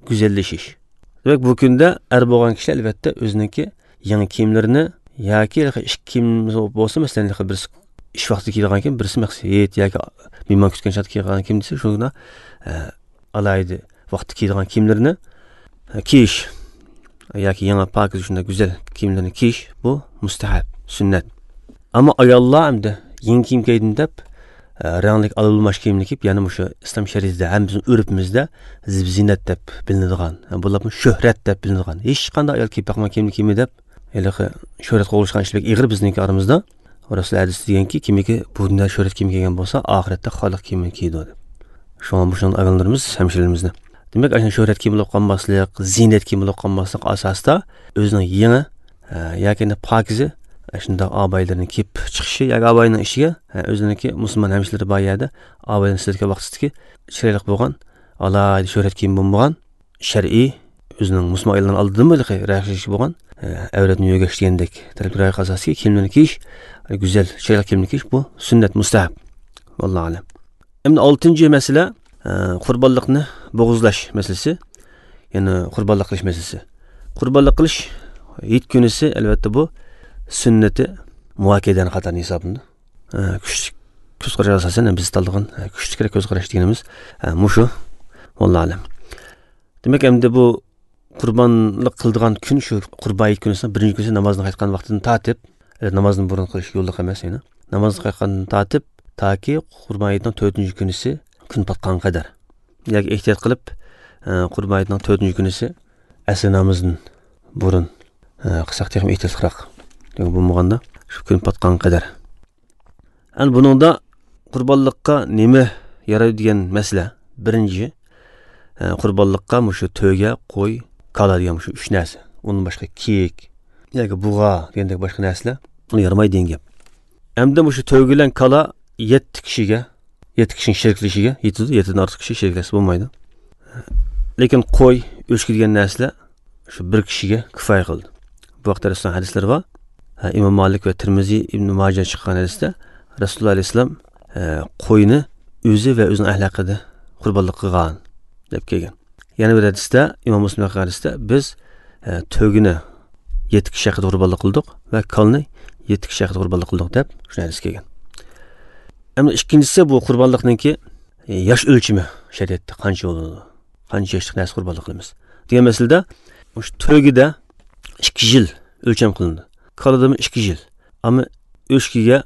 گۈزەللىشىش. دېمەك، بۇ كۈندە ئەر بولغان كىشىلەر، ئەلۋەتتە، ئۆزىنىڭكى يېڭى كىيىملىرىنى ياكى ھېلىقى ئىككى كىيىم بولسا، مەسىلەن، ھېلىقى بىرسى ئىش ۋاقتىدا كىيىدىغان كىيىم، بىرسى مەخسۇس ھېيت ياكى مېھمان كۈتكەن چاغدا كىيىدىغان كىيىم دېسە، شۇنى، ئە، ئالاھىدە ۋاقىتتا كىيىدىغان كىيىملىرىنى، ئە، كىيىش ياكى يېڭى پاكىز شۇنداق گۈزەل كىيىملەرنى كىيىش، بۇ مۇستەھەب، سۈننەت. ئەمما ئاياللار ئەمدى يېڭى كىيىم كىيدىم دەپ، ئە، رەڭلىك ئالماش كىيىمنى كىيىپ، يەنە مۇشۇ ئىسلام شەرىئىتىدە ھەم بىزنىڭ ئۆرپىمىزدە زىب-زىننەت دەپ بىلىنىدىغان، ھە، بولۇپمۇ شۆھرەت دەپ بىلىنىدىغان، ھېچقانداق ئايال كىيىپ باقمىغان كىيىمنى كىيمە دەپ، ھېلىقى شۆھرەت قوغلىشىدىغان ئىش بەك ئېغىر بىزنىڭكى ئارىمىزدا. رەسۇل ھەدىس دېگەنكى، كىمكى بۇ دۇنيادا شۆھرەت كىيىم كىيگەن بولسا، ئاخىرەتتە خارلىق كىيىمىنى كىيىدۇ دەپ. شۇڭا مۇشۇنى ئاياللىرىمىز، ھەمشىرىلىرىمىزنى، دېمەك، ئاشۇ شۆھرەت كىيىم بولۇپ قالماسلىق، زىننەت كىيىم بولۇپ قالماسلىق ئاساسىدا ئۆزىنىڭ يېڭى، ئە، ياكى ئەمدى پاكىزە ئاشۇنداق ئابايىلىرىنى كىيىپ چىقىشى ياكى ئابايىنىڭ ئىچىگە، ئە، ئۆزىنىڭكى مۇسۇلمان ھەمشىرىلىرى بار يەردە ئابايىلىرىنى سېلىۋەتكەن ۋاقتىدىكى چىرايلىق بولغان، ئالاھىدە شۆھرەت كىيىم بولمىغان، شەرئىي، ئۆزىنىڭ مۇسۇلمان ئاياللىرىنىڭ ئالدىدىمۇ ھېلىقى رەھىشى بولغان، ئە، ئەۋرەتنى يۆگەش دېگەندەك تەرەپكە رىئايە قىلىش ئاساسىدىكى كىيىملەرنى كىيىش، گۈزەل، چىرايلىق كىيىمنى كىيىش، بۇ سۈننەت، مۇستەھەب. ۋاللاھۇ ئەلەم. ئەمدى ئالتىنچى مەسىلە، ئە، قۇربانلىقنى بوغۇزلاش مەسىلىسى، يەنى قۇربانلىق قىلىش مەسىلىسى. قۇربانلىق قىلىش ھېيت كۈنىسى، ئەلۋەتتە، بۇ سۈننىتى مۇئەككەدەنىڭ قاتارىدا ھېسابلىنىدۇ. ئە، كۈچلۈك كۆز قاراش ئاساسەن، بىز تاللىغان، ئە، كۈچلۈكرەك كۆز قاراش دېگىنىمىز، ئە، مۇشۇ. ۋاللاھۇ ئەلەم. دېمەك، ئەمدى بۇ قۇربانلىق قىلىدىغان كۈن شۇ قۇربان ھېيت كۈنىسىنىڭ بىرىنچى كۈنىسى نامازدىن قايتقان ۋاقتىدىن تارتىپ، ئە، نامازدىن بۇرۇن قىلىش يوللۇق ئەمەس يەنە. نامازدىن قايتقاندىن تارتىپ، تاكى قۇربان ھېيتنىڭ تۆتىنچى كۈنىسى كۈن پاتقانغا قەدەر. ياكى ئېھتىيات قىلىپ، ئە، قۇربان ھېيتنىڭ تۆتىنچى كۈنىسى ئەسىر نامىزىدىن بۇرۇن، ئە، قىلساق تېخىمۇ ئېھتىياتلىقراق. بولمىغاندا شۇ كۈن پاتقانغا قەدەر. ئەنە بۇنىڭدا قۇربانلىققا نېمە يارايدۇ دېگەن مەسىلە. بىرىنچى، ئە، قۇربانلىققا مۇشۇ تۆگە، قوي، كالا دېگەن مۇشۇ ئۈچ نەرسە. ئۇندىن باشقا كىيىك ياكى بۇغا دېگەندەك باشقا نەرسىلەر ئۇنى يارىمايدۇ دېگەن گەپ. ئەمدى مۇشۇ تۆگە بىلەن كالا يەتتە كىشىگە، يەتتە كىشىنىڭ شېرىكلىشىگە يېتىدۇ، يەتتىدىن ئارتۇق كىشى شېرىكلەشسە بولمايدۇ. لېكىن قوي، ئۆچكە دېگەن نەرسىلەر شۇ بىر كىشىگە كۇپايە قىلىدۇ. بۇ ھەقتە رەسۇلنىڭ ھەدىسلىرى بار. ئىمام مالىك ۋە تىرمىزى، ئىبن ماجە چىققان ھەدىستە رەسۇلۇللاھ ئەلەيھىسسالام، ئە، قوينى ئۆزى ۋە ئۆزىنىڭ ئەھلى ھەققىدە قۇربانلىق قىلغان دەپ كەلگەن. يەنە بىر ھەدىستە، ئىمام مۇسلىم رىۋايەت قىلغان ھەدىستە، بىز، ئە، تۆگىنى يەتتە كىشى ھەققىدە قۇربانلىق قىلدۇق ۋە كالىنى يەتتە كىشى ھەققىدە قۇربانلىق قىلدۇق دەپ شۇ ھەدىس كەلگەن. ئەمدى ئىككىنچىسى، بۇ قۇربانلىقنىڭكى، ئە، ياش ئۆلچىمى شەرىئەتتە قانچە بولىدۇ؟ قانچە ياشلىق نەرسە قۇربانلىق قىلىمىز دېگەن مەسىلىدە، مۇشۇ تۆگىدە ئىككى يىل ئۆلچەم قىلىنىدۇ. كالىدىمۇ ئىككى يىل. ئەمما ئۆچكىگە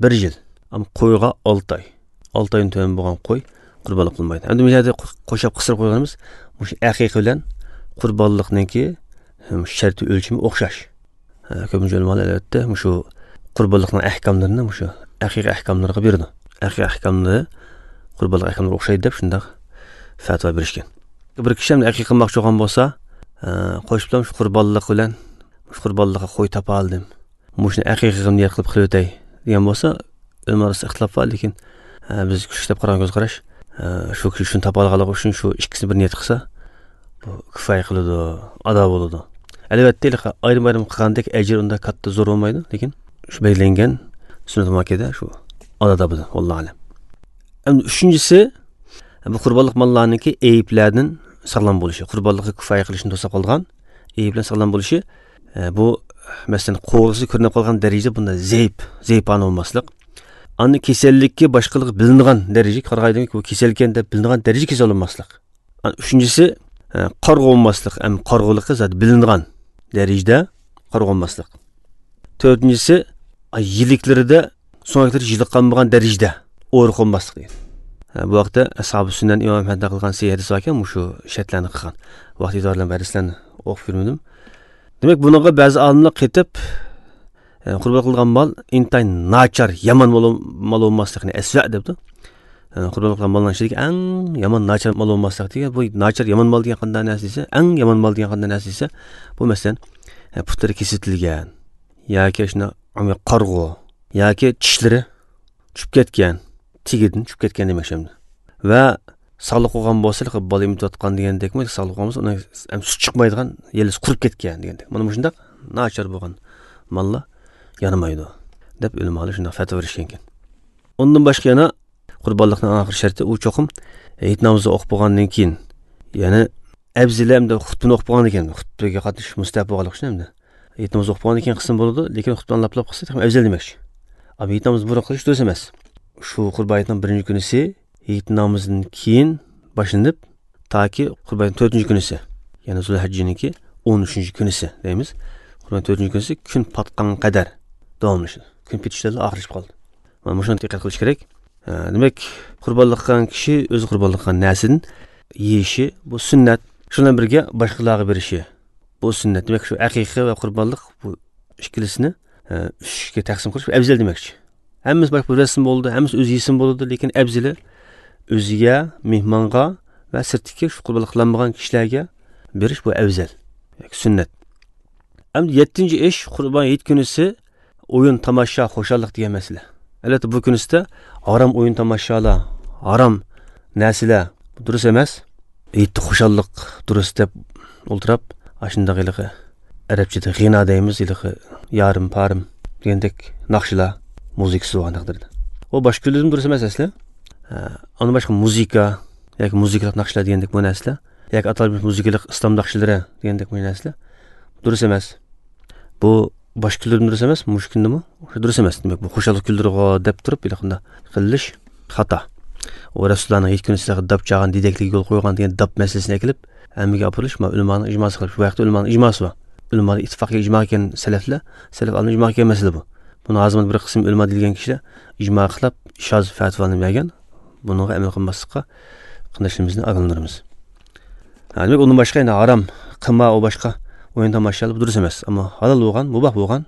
بىر يىل. ئەمما قويغا ئالتە ئاي. ئالتە ئايدىن تۆۋەن بولغان قوي قۇربانلىق قىلمايدۇ. ئەمدى بۇ يەردە قوشاپ قىستۇرۇپ قويغىنىمىز، مۇشۇ ئەقىقە بىلەن قۇربانلىقنىڭكى، ھەم، شەرتى ئۆلچىمى ئوخشاش. ھە، كۆپىنچە ئۆلىمالار، ئەلۋەتتە، مۇشۇ قۇربانلىقنىڭ ئەھكاملىرىنى مۇشۇ ئەقىقە ئەھكاملىرىغا بېرىدۇ. ئەقىقە ئەھكاملىرى قۇربانلىق ئەھكاملىرىغا ئوخشايدۇ دەپ شۇنداق پەتىۋا بېرىشكەن. بىر كىشى ئەمدى ئەقىقە قىلماقچى بولغان بولسا، ئە، قوشۇپ بىلەن شۇ قۇربانلىق بىلەن، شۇ قۇربانلىققا قوي تاپالىدىم، مۇشۇنى ئەقىقە قىلىپ نىيەت قىلىپ قىلىۋېتەي دېگەن بولسا، ئۆلىمە ئارىسىدا ئىختىلاپ بار، لېكىن، ئە، بىز كۈچلۈك دەپ قارىغان كۆز قاراش، ئە، شۇ كىشى شۇنى تاپالىغانلىقى ئۈچۈن شۇ ئىككىسىنى بىر نىيەت قىلسا، بۇ كۇپايە قىلىدۇ، ئادا بولىدۇ. ئەلۋەتتە، ھېلىقى ئايرىم-ئايرىم قىلغاندەك ئەجىر ئۇنداق كاتتا زور بولمايدۇ، لېكىن شۇ بەلگىلەنگەن سۈننەت مۇئەككەدە شۇ ئادا بولىدۇ، ۋاللاھۇ ئەلەم. ئەمدى ئۈچىنچىسى، بۇ قۇربانلىق ماللارنىڭكى ئەيىبلەردىن ساغلام بولۇشى، قۇربانلىققا كۇپايە قىلىشنى توساپ قالىدىغان ئەيىبلەردىن ساغلام بولۇشى، ئە، بۇ، مەسىلەن، قوغۇسى كۆرۈنۈپ قالغان دەرىجىدە بۇنداق زەئىپ، زەئىپانە بولماسلىق. ئاندىن كېسەللىككە باشقىلىقى بىلىنىدىغان دەرىجىگە قارىغايدىكى، بۇ كېسەلكەن دەپ بىلىنىدىغان دەرىجىگە كېسەل بولماسلىق. ئۈچىنچىسى، ئە، قارىغۇ بولماسلىق، ئەم، قارىغۇلۇقى زادى بىلىنىدىغان دەرىجىدە قارىغۇ بولماسلىق. تۆتىنچىسى، ئە، يىلىكلىرىدە سۆڭەكلىرى يىلىققان بولغان دەرىجىدە ئورۇق بولماسلىق دېگەن. ئە، بۇ ھەقتە ئەسھابى سۈننەن ئىمام ئەھمەدتە قىلغان سەھىھ ھەدىس باركەن، مۇشۇ شەرتلەرنى قىلغان. ۋاقتى ئېتىبارى بىلەن بۇ ھەدىسلەرنى ئوقۇپ يۈرمىدىم. دېمەك، بۇنىڭغا بەزى ئالىملار قېتىپ، ئە، قۇربان قىلغان مال ئىنتايىن ناچار، يامان مال، مال بولماسلىقنى ئەسۋە دەپتۇ. ئە، قۇربان قىلغان مالنىڭ ئىچىدىكى ئەڭ يامان، ناچار مال بولماسلىق دېگەن، بۇ ناچار، يامان مال دېگەن قانداق نەرسە دېسە، ئەڭ يامان مال دېگەن قانداق نەرسە دېسە، بۇ، مەسىلەن، ئە، پۇتلىرى كېسىتىلگەن ياكى شۇنداق قارىغۇ ياكى چىشلىرى چۈشۈپ كەتكەن، تېگىدىن چۈشۈپ كەتكەن دېمەكچى ئەمدى. ۋە ساغلىق بولغان بولسا، بالا ئېمىتىۋاتقان دېگەندەكمۇ، ساغلىق بولغان بولسا، ئۇنىڭ ھەم سۈت چىقمايدىغان، يېلىسى قۇرۇپ كەتكەن دېگەندەك. مانا مۇشۇنداق ناچار بولغان ماللار يانىمايدۇ دەپ ئۆلىمالار شۇنداق پەتىۋا بېرىشكەنكەن. ئۇندىن باشقا يەنە قۇربانلىقنىڭ ئاخىرقى شەرتى، ئۇ چوقۇم ھېيت نامىزى ئوقۇپ بولغاندىن كېيىن، يەنى ئەۋزىلى ئەمدى خۇتبىنى ئوقۇپ بولغاندىن كېيىن، خۇتبىگە قاتنىشىش مۇستەھەپ بولغانلىقى ئۈچۈن ئەمدى ھېيت نامىزى ئوقۇپ بولغاندىن كېيىن قىلسىمۇ بولىدۇ، لېكىن خۇتبىنى ئاڭلاپلا قىلسا تېخىمۇ ئەۋزەل دېمەكچى. ئەمما ھېيت نامىزى بۇرۇن قىلىش دۇرۇس ئەمەس. شۇ قۇربان ھېيتنىڭ بىرىنچى كۈنىسى ھېيت نامىزىدىن كېيىن باشلىنىپ، تاكى قۇربان ھېيتنىڭ تۆتىنچى كۈنىسى، يەنى زۇلھەججىنىڭكى ئون ئۈچىنچى كۈنىسى دەيمىز. قۇربان ھېيتنىڭ تۆتىنچى كۈنىسى كۈن پاتقانغا قەدەر داۋاملىشىدۇ. كۈن پېتىشتىلا ئاخىرلىشىپ قالىدۇ. مانا مۇشۇنى دىققەت قىلىش كېرەك. ئە، دېمەك، قۇربانلىق قىلغان كىشى ئۆزى قۇربانلىق قىلغان نەرسىدىن يېيىشى، بۇ سۈننەت. شۇنىڭ بىلەن بىرگە باشقىلارغا بېرىشى، بۇ سۈننەت. دېمەك، شۇ ئەقىقە ۋە قۇربانلىق، بۇ ئىككىلىسىنى، ئە، ئۈچكە تەقسىم قىلىش ئەۋزەل دېمەكچى. ھەممىسى باشقا بىر بەرسىمۇ بولىدۇ، ھەممىسى ئۆزى يېسىمۇ بولىدۇ، لېكىن ئەۋزىلى ئۆزىگە، مېھمانغا ۋە سىرتتىكى شۇ قۇربانلىق قىلالمىغان كىشىلەرگە بېرىش، بۇ ئەۋزەل. ياكى سۈننەت. ئەمدى يەتتىنچى ئىش، قۇربان ھېيت كۈنىسى ئويۇن، تاماشا، خۇشاللىق دېگەن مەسىلە. ئەلۋەتتە، بۇ كۈنىسىدە ھارام ئويۇن، تاماشالار، ھارام نەرسىلەر، بۇ دۇرۇس ئەمەس. ھېيتتا خۇشاللىق دۇرۇس دەپ ئولتۇراپ، ئاشۇنداق ھېلىقى ئەرەبچىدە غىنا دەيمىز، ھېلىقى يارىم پارىم دېگەندەك ناخشىلار، مۇزىكىسى بولغان تەقدىردە. ئۇ باشقا كۈنلىرىمۇ دۇرۇس ئەمەس ئەسلى. ئە، ئۇندىن باشقا مۇزىكا ياكى مۇزىكىلىق ناخشىلار دېگەندەك بۇ نەرسىلەر، ياكى ئاتالمىش مۇزىكىلىق ئىسلام ناخشىلىرى دېگەندەك بۇ نەرسىلەر دۇرۇس ئەمەس. بۇ باشقا كۈنلىرىمۇ دۇرۇس ئەمەس، مۇشۇ كۈنىمۇ دۇرۇس ئەمەس. دېمەك، بۇ خۇشاللىق كۈنلىرىغا دەپ تۇرۇپ ھېلىقىنداق قىلىش خاتا. ئۇ رەسۇلۇللانىڭ ھېيت كۈنى سىلەرگە داپ چالغان، دېدەكلىك يول قويغان دېگەن داپ مەسىلىسىنى ئەكېلىپ، ھەممىگە ئاپىرىلىش، ما ئۆلىمانىڭ ئىجماسى خىلاپ. شۇ ۋاقىتتا ئۆلىمانىڭ ئىجماسى بار. ئۆلىمالار ئىتتىپاققا ئىجما كەلگەن سەلەفلەر، سەلەف ئالىملار ئىجما كەلگەن مەسىلە بۇ. بۇنى ھازىر بىر قىسىم ئۆلىما دېيىلگەن كىشىلەر ئىجما خىلاپ شاز فەتىۋالارنى بەرگەن. بۇنىڭغا ئەمەل قىلماسلىققا قېرىنداشلىرىمىزنى ئاگاھلاندۇرىمىز. ھە، دېمەك، ئۇندىن باشقا يەنە ھارام، قىمار، ئۇ باشقا ئويۇن تاماشىلار، بۇ دۇرۇس ئەمەس. ئەمما ھالال بولغان، مۇباھ بولغان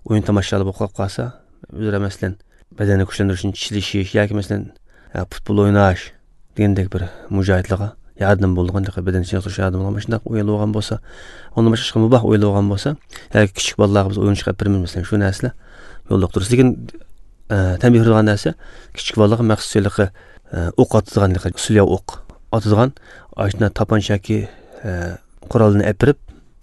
ئويۇن تاماشىلار بولۇپ قالسا، ئۆزئارا، مەسىلەن، بەدەننى كۈچلەندۈرۈش ئۈچۈن چېلىشىش ياكى، مەسىلەن، ھە، پۇتبول ئويناش دېگەندەك بىر مۇجاھىدلارغا ياردىمى بولىدىغان، بەدەن چېنىقتۇرۇشقا ياردىمى بولىدىغان مۇشۇنداق ئويۇنلار بولغان بولسا، ئۇندىن باشقا مۇباھ ئويۇنلار بولغان بولسا، ياكى كىچىك بالىلارغا بىز ئويۇنچۇق ئەپ بېرىمىز، مەسىلەن، شۇ نەرسىلەر يوللۇق دۇرۇس. لېكىن، ئە، تەنبىھ بېرىدىغان نەرسە، كىچىك بالىلارغا مەخسۇس ھېلىقى، ئە، ئوق ئاتىدىغان، ھېلىقى سۈلياۋ ئوق ئاتىدىغان، ئاشۇنداق تاپانچا ياكى، ئە، قورالنى ئەپ بېرىپ،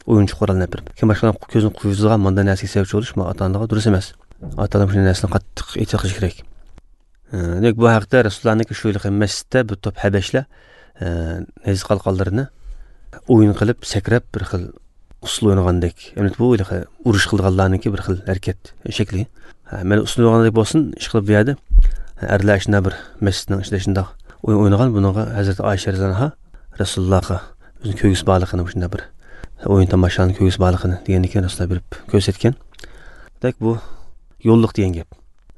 ئويۇنچۇق قورالنى ئەپ بېرىپ. كېيىن باشقىلارنىڭ كۆزىنى قويغۇزىدىغان مانداق نەرسىگە سەۋەبچى بولۇش، ما ئاتا-ئانىلارغا دۇرۇس ئەمەس. ئاتا-ئانىلار مۇشۇنداق نەرسىنى قاتتىق ئېتىراپ قىلىشى كېرەك. ئە، دېمەك، بۇ ھەقتە رەسۇلۇللانىڭكى شۇ ھېلىقى مەسچىتتە بىر توپ ھەبەشلەر، ئە، نەجىس قالقانلىرىنى ئويۇن قىلىپ، سەكرەپ، بىر خىل ئۇسسۇل ئوينىغاندەك. ئەمدى بۇ ھېلىقى ئۇرۇش قىلىدىغانلارنىڭكى بىر خىل ھەرىكەت شەكلى. ھە، مەن ئۇسسۇل ئوينىغاندەك بولسۇن، ئىشقىلىپ بۇ يەردە، ھە، ئەرلەر شۇنداق بىر مەسچىتنىڭ ئىچىدە شۇنداق ئويۇن ئوينىغان، بۇنىڭغا ھەزرىتى ئائىشە رەزىياللاھۇ ئەنھا رەسۇلۇللاھقا ئۆزىنىڭ كۆرگۈسى بارلىقىنى، شۇنداق بىر ئويۇن تاماشانىڭ كۆرگۈسى بارلىقىنى دېگەندىن كېيىن رەسۇلۇللا بېرىپ كۆرسەتكەن. دېمەك، بۇ يوللۇق دېگەن گەپ.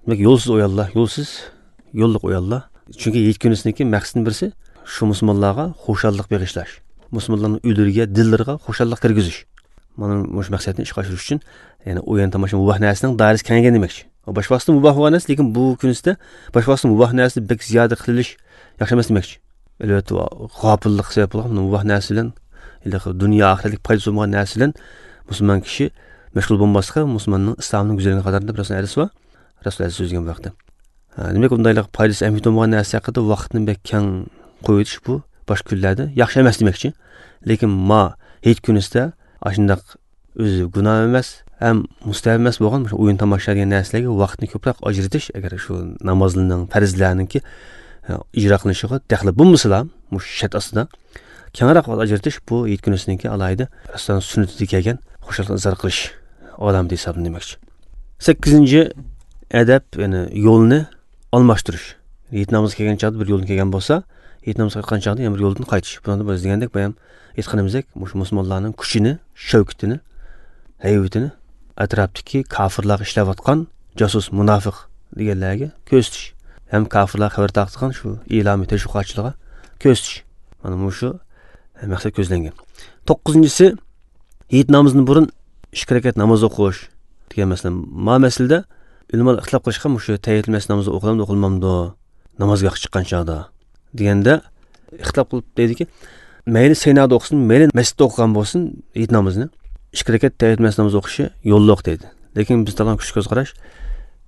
دېمەك، يولسىز ئويۇنلار، يولسىز، يوللۇق ئويۇنلار. چۈنكى ھېيت كۈنىسىنىڭكى مەقسىتىنىڭ بىرسى شۇ مۇسۇلمانلارغا خۇشاللىق بېغىشلاش. مۇسۇلمانلارنىڭ ئۆيلىرىگە، دىللىرىغا خۇشاللىق كىرگۈزۈش. مانا مۇشۇ مەقسەتنى ئىشقا ئاشۇرۇش ئۈچۈن، يەنى ئويۇن تاماشا مۇباھ نەرسىنىڭ دائىرىسى كېڭەيگەن دېمەكچى. باشقا ۋاقىتتا مۇباھ بولغان نەرسە، لېكىن بۇ كۈنىسىدە باشقا ۋاقىتتا مۇباھ نەرسىنى بەك زىيادە قىلىش ياخشى ئەمەس دېمەكچى. ئەلۋەتتە، غاپىللىق سەۋەب بولغان مۇباھ نەرسە بىلەن، ھېلىقى دۇنيا ئاخىرەتلىك پايدىسى بولمىغان نەرسە بىلەن مۇسۇلمان كىشى مەشغۇل بولماسلىقى مۇسۇلماننىڭ ئىسلامىنىڭ گۈزەللىكىگە قاتارلىق دەپ رەسۇلنىڭ ھەدىسى بار. رەسۇل ھەدىس سۆزلىگەن بۇ ھەقتە. ھە، دېمەك، ئۇنداق پايدىسى ئەھمىيىتى بولمىغان نەرسە ھەققىدە ۋاقىتنى بەك كەڭ قويۇۋېتىش بۇ باشقا كۈنلەردە ياخشى ئەمەس دېمەكچى. لېكىن ما ھېيت كۈنىسىدە ئاشۇنداق ئۆزى گۇناھ ئەمەس ھەم مۇستەھەب ئەمەس بولغان مۇشۇ ئويۇن تاماشا دېگەن نەرسىلەرگە ۋاقىتنى كۆپرەك ئاجرىتىش، ئەگەر شۇ نامازلارنىڭ، پەرزلەرنىڭكى، ئە، ئىجرا قىلىنىشىغا دەخلى بولمىسىلا، مۇشۇ شەرت ئاستىدا كەڭرەك ۋاقىت ئاجرىتىش بۇ ھېيت كۈنىسىنىڭكى ئالاھىدە رەسۇلۇللانىڭ سۈننىتىدە كەلگەن خۇشاللىقنى ئىزھار قىلىش ئالامىتى ھېسابلىنىدۇ دېمەكچى. سەككىزىنچى ئەدەپ، يەنى يولنى ئالماشتۇرۇش. ھېيت نامىزىغا كەلگەن چاغدا بىر يولدىن كەلگەن بولسا، ھېيت نامىزىغا قايتقان چاغدا يەنە بىر يولدىن قايتىش. بۇنىڭدا بىز دېگەندەك، بايام ئېيتقىنىمىزدەك، مۇشۇ مۇسۇلمانلارنىڭ كۈچىنى، شەۋكىتىنى، ھەيۋىتىنى ئەتراپتىكى كاپىرلارغا ئىشلەۋاتقان جاسۇس، مۇناپىق دېگەنلەرگە كۆرسىتىش ھەم كاپىرلارغا خەۋەر تارقىتىدىغان شۇ ئېلامى تەشۋىقاتچىلارغا كۆرسىتىش. مانا مۇشۇ مەقسەت كۆزلەنگەن. توققۇزىنچىسى، ھېيت نامىزىدىن بۇرۇن ئىككى رەكەت ناماز ئوقۇش دېگەن مەسىلە. ما مەسىلىدە ئۆلىمالار ئىختىلاپ قىلىشقان، مۇشۇ تەھىيەتۇل مەسچىت نامىزى ئوقۇلامدۇ، ئوقۇلمامدۇ نامازگاھقا چىققان چاغدا دېگەندە، ئىختىلاپ قىلىپ دەيدىكى، مەيلى سەينادا ئوقۇسۇن، مەيلى مەسچىتتە ئوقۇغان بولسۇن، ھېيت نامىزىنى، ئىككى رەكەت تەھىيەت مەسچىت نامىزى ئوقۇشى يوللۇق دەيدۇ. لېكىن بىز تۇتىدىغان كۈچ كۆز قاراش،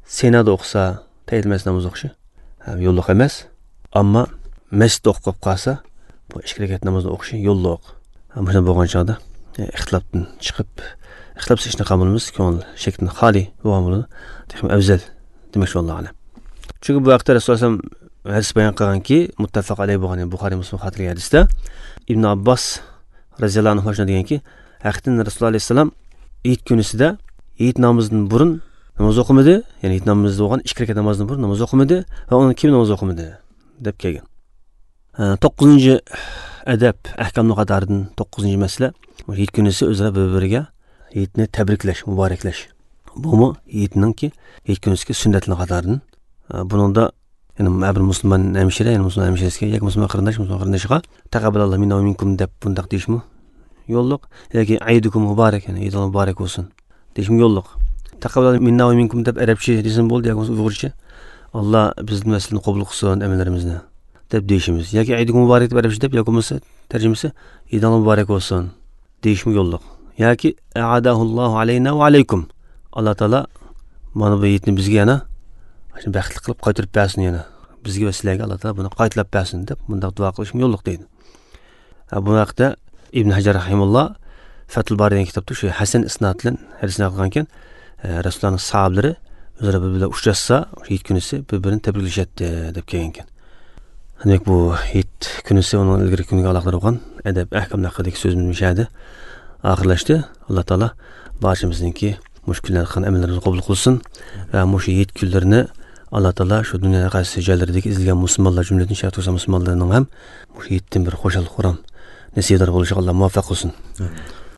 سەينادا ئوقۇسا، تەھىيەت مەسچىت نامىزى ئوقۇشى، ھە، يوللۇق ئەمەس. ئەمما مەسچىتتە ئوقۇپ قالسا، بۇ ئىككى رەكەت نامازنى ئوقۇشى يوللۇق. ھە، مۇشۇنداق بولغان چاغدا، ئە، ئىختىلاپتىن چىقىپ، ئىختىلاپسىز ئىشنى قىلغان بولىمىز، كۆڭۈل شەكتىن خالىي بولغان بولىدۇ. تېخىمۇ ئەۋزەل دېمەكچى، ۋاللاھۇ ئەلەم. چۈنكى بۇ ھەقتە رەسۇلۇللا ئەلەيھىسسالام ھەدىس بايان قىلغانكى، مۇتتەپەق ئەلەيھى بولغان، يەنى بۇخارىي، مۇسلىم خاتىرىلىگەن ھەدىستە ئىبن ئابباس رەزىياللاھۇ ئەنھۇ شۇنداق دېگەنكى، ھەقىقەتەن رەسۇلۇللا ئەلەيھىسسالام ھېيت كۈنىسىدە ھېيت نامىزىدىن بۇرۇن ناماز ئوقۇمىدى، يەنى ھېيت نامىزى بولغان ئىككى رەكەت نامازدىن بۇرۇن ناماز ئوقۇمىدى ۋە ئۇنىڭدىن كېيىن ناماز ئوقۇمىدى، دەپ كەلگەن. ھە، توققۇزىنچى ئەدەپ، ئەھكامنىڭ قاتارىدىن توققۇزىنچى مەسىلە، ھېيت كۈنىسى ئۆزئارا بىر-بىرىگە ھېيتنى تەبرىكلەش، مۇبارەكلەش. بۇمۇ ھېيتنىڭكى، ھېيت كۈنىسىدىكى سۈننەتلەرنىڭ قاتارىدىن. ھە، بۇنىڭدا يەنى ھەر بىر مۇسۇلمان ھەمشىرە، يەنى مۇسۇلمان ھەمشىرىسىگە ياكى مۇسۇلمان قېرىنداش، مۇسۇلمان قېرىندىشىغا «تەقەببەلاللاھۇ مىننا ۋە مىنكۇم» دەپ بۇنداق دېيىشمۇ يوللۇق. ياكى «ئەيدۇكۇم مۇبارەك»، يەنى ئېيتىڭلار مۇبارەك بولسۇن دېيىشمۇ يوللۇق. «تەقەببەلاللاھۇ مىننا ۋە مىنكۇم» دەپ ئەرەبچە دېسىمۇ بولىدۇ، ياكى بولمىسا ئۇيغۇرچە «ئاللا بىزدىن ۋە سىزدىن قوبۇل قىلسۇن ئەمەللىرىمىزنى» دەپ دېيىشىمىز. ياكى «ئەيدۇكۇم مۇبارەك» دەپ ئەرەبچە دەپ، ياكى بولمىسا تەرجىمىسى «ئېيتىڭلار مۇبارەك بولسۇن» دېيىشمۇ يوللۇق. ياكى «ئەئادەھۇللاھۇ ئەلەينا ۋە ئەلەيكۇم»، ئاللا تائالا مانا بۇ ھېيتنى بىزگە يەنە بەختلىك قىلىپ قايتۇرۇپ بەرسۇن، يەنە بىزگە ۋە سىلەرگە ئاللا تائالا بۇنى قايتىلاپ بەرسۇن دەپ بۇنداق دۇئا قىلىشمۇ يوللۇق دەيدۇ. ھە، بۇ ھەقتە ئىبن ھەجەر رەھىمۇللا فەتھۇل بارى دېگەن كىتابتا شۇ ھەسەن ئىسناد بىلەن ھەدىسنى نەقىل قىلغانكەن، ھە، رەسۇلۇللانىڭ ساھابىلىرى ئۆزئارا بىر-بىرى بىلەن ئۇچراشسا، ھېيت كۈنىسى بىر-بىرىنى تەبرىكلىشەتتى دەپ كەلگەنكەن. دېمەك، بۇ ھېيت كۈنىسى، ئۇنىڭ ئىلگىرىكى كۈنىگە ئالاقىدار بولغان ئەدەپ ئەھكام ھەققىدىكى سۆزىمىز مۇشۇ يەردە ئاخىرلاشتى. ئاللا تائالا بارچىمىزنىڭكى مۇشۇ كۈنلەردە قىلغان ئەمەللىرىمىزنى قوبۇل قىلسۇن ۋە مۇشۇ ھېيت كۈنلىرىنى ئاللا تائالا شۇ دۇنيانىڭ ھەر قايسى جايلىرىدىكى ئېزىلگەن مۇسۇلمانلار، جۈملىدىن شەرقىي تۈركىستان مۇسۇلمانلىرىنىڭ ھەم مۇشۇ ھېيتتىن بىر خۇشال-خۇرام نېسىۋىدار بولۇشىغا ئاللا مۇۋەپپەق قىلسۇن. ئامىن.